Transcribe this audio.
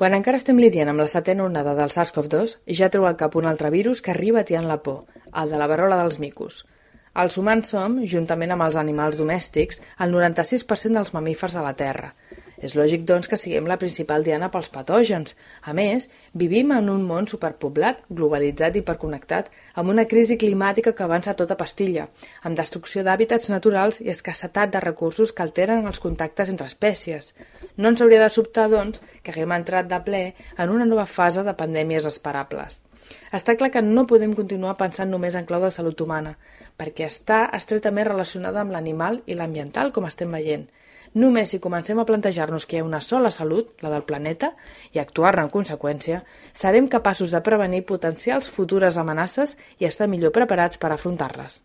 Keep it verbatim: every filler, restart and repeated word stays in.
Quan encara estem lidiant amb la setena onada del SARS CoV dos, ja treu al cap un altre virus que arriba atiant la por, el de la verola dels micos. Els humans som, juntament amb els animals domèstics, el noranta-sis per cent dels mamífers de la Terra. És lògic, doncs, que siguem la principal diana pels patògens. A més, vivim en un món superpoblat, globalitzat i hiperconnectat, amb una crisi climàtica que avança a tota pastilla, amb destrucció d'hàbitats naturals i escassetat de recursos que alteren els contactes entre espècies. No ens hauria de sobtar, doncs, que haguem entrat de ple en una nova fase de pandèmies esperables. Està clar que no podem continuar pensant només en clau de salut humana, perquè està estretament relacionada amb l'animal i l'ambiental, com estem veient. Només si comencem a plantejar-nos que hi ha una sola salut, la del planeta, i actuar-ne en conseqüència, serem capaços de prevenir potencials futures amenaces i estar millor preparats per afrontar-les.